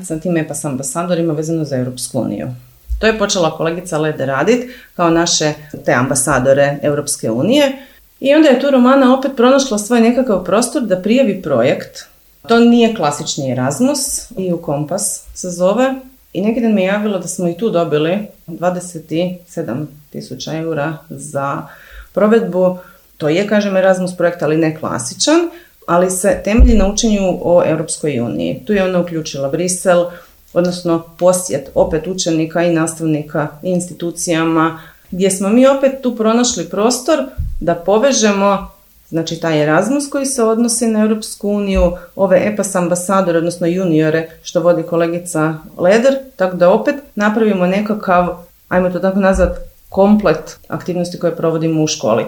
sa tim EPAS ambasadorima vezano za Europsku uniju. To je počela kolegica Leder raditi kao naše te ambasadore Europske unije i onda je tu Romana opet pronašla svoj nekakav prostor da prijavi projekt. To nije klasični Erasmus, EU Kompas se zove i neki dan mi je javilo da smo i tu dobili 27.000 eura za provedbu. To je, kažem, Erasmus projekt, ali ne klasičan, ali se temelji na učenju o Europskoj uniji. Tu je ona uključila Brisel, odnosno posjet opet učenika i nastavnika i institucijama, gdje smo mi opet tu pronašli prostor da povežemo, znači taj Erasmus koji se odnosi na Europsku uniju, ove EPAS ambasadore, odnosno juniore što vodi kolegica Leder, tako da opet napravimo nekakav, ajmo to tako nazvat, komplet aktivnosti koje provodimo u školi.